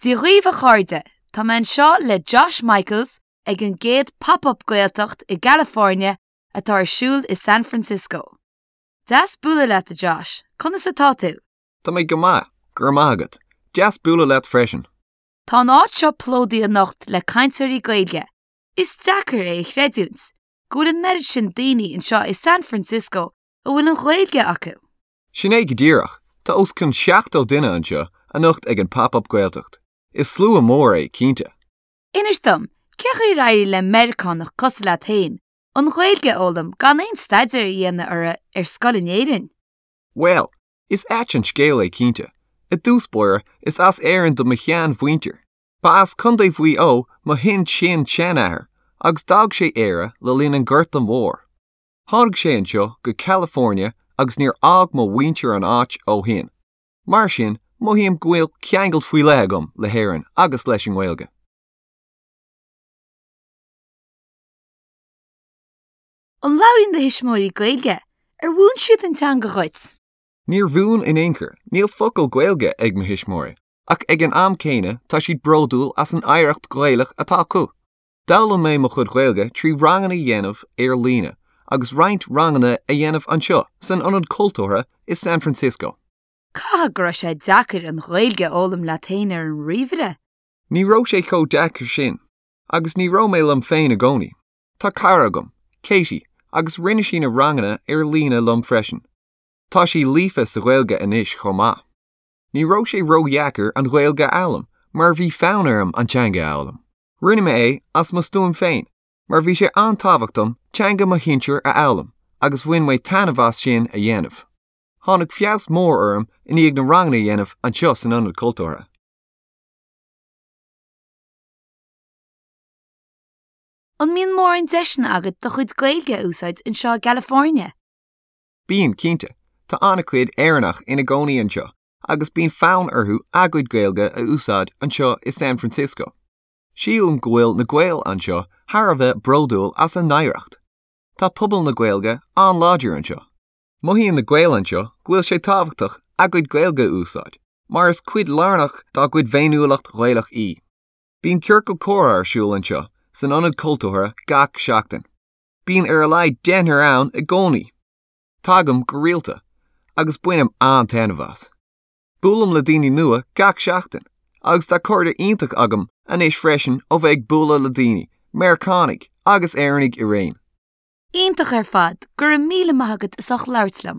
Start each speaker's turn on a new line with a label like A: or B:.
A: Dia dhaoibh a chairde, tá mé anseo le Josh Michaels ag an gcéad Pop Up Gaeltacht i gCalifornia atá ar siúl i San Francisco. Deas bualadh leat a Josh, conas atá tú?
B: Tá mé go maith, go raibh maith agat. Deas bualadh leat freisin.
A: Tá an áit seo plódaithe anocht le cainteoirí Gaeilge. Is deacair é a chreidiúint, go bhfuil an oiread sin daoine anseo i San Francisco a bhfuil an Ghaeilge acu.
B: Sin é go díreach, tá os cionn 70 duine anseo anocht ag an Pop Up Gaeltacht. Is slua mór é, cinnte.
A: Inis dom, cé chaoi ar éirigh le Meiriceánach cosúil leat féin an Ghaeilge a fhoghlaim gan aon staidéar a dhéanamh uirthi ar scoil in Éirinn?
B: Bhuel, is ait an scéal é cinnte. I dtús báire, is as Éirinn do mo sheanmhuintir. Ba as Contae Mhaigh Eo mo shin-sin-seanathair agus d'fhág sé Éire le linn an Ghorta Mhóir. Tháinig sé anseo go California agus níor fhág mo mhuintir an áit ó shin. Mar sin, mothaím go bhfuil ceangal faoi leith agam le hÉirinn agus leis an nGaeilge.
A: An labhraíonn do thuismitheoirí Gaeilge? Ar mhúin siad an teanga dhuit?
B: Níor mhúin in aon chor, níl focal Gaeilge ag mo thuismitheoirí, ach ag an am céanna tá siad bródúil as an oidhreacht Ghaelach atá acu. D'fhoghlaim mé mo chuid Gaeilge trí ranganna a dhéanamh ar líne agus roinnt ranganna a dhéanamh anseo san Ionad Cultúrtha i San Francisco.
A: Caithfidh go raibh sé deacair an Ghaeilge a fhoghlaim leat féin ar an ríomhaire?
B: Ní raibh sé chomh deacair sin, agus ní raibh mé liom féin i gcónaí. Tá cara agam, Katie, agus rinne sí na ranganna ar líne liom freisin. Tá sí líofa sa Ghaeilge anois chomh maith. Ní raibh sé ródheacair an Ghaeilge a fhoghlaim mar bhí fonn orm an teanga a fhoghlaim. Rinne mé é as mo stuaim féin mar bhí sé an-tábhachtach dom teanga mo shinsir a fhoghlaim agus bhain mé taitneamh as sin a dhéanamh. Tháinig feabhas mór orm i ndiaidh na ranganna a dhéanamh anseo san Ionad Cultúrtha.
A: An mbíonn mórán deiseanna agat do chuid Gaeilge a úsáid anseo i gCalifornia?
B: Bíonn, cinnte. Tá an-chuid Éireannach ina gcónaí anseo agus bíonn fonn orthu a gcuid Gaeilge a úsáid anseo i San Francisco. Sílim go bhfuil na Gaeil anseo thar a bheith bródúil as a n-oidhreacht. Tá pobal na Gaeilge an-láidir anseo. Mothaíonn na Gaeil anseo go bhfuil sé tábhachtach a gcuid Gaeilge a úsáid, mar is cuid lárnach dá gcuid bhféiniúlacht Ghaelach í. Bíonn ciorcal comhrá ar siúl anseo san Ionad Cultúrtha gach seachtain. Bíonn ar a laghad deichniúr ann i gcónaí. Tagaim go rialta agus bainim an-taitneamh as. Buailim le daoine nua gach seachtain agus tá cairde iontach agam anois freisin ó bheith ag bualadh le daoine, Meiriceánaigh agus Éireannaigh araon.
A: Iontach ar fad, go raibh míle maith agat as ucht labhairt liom.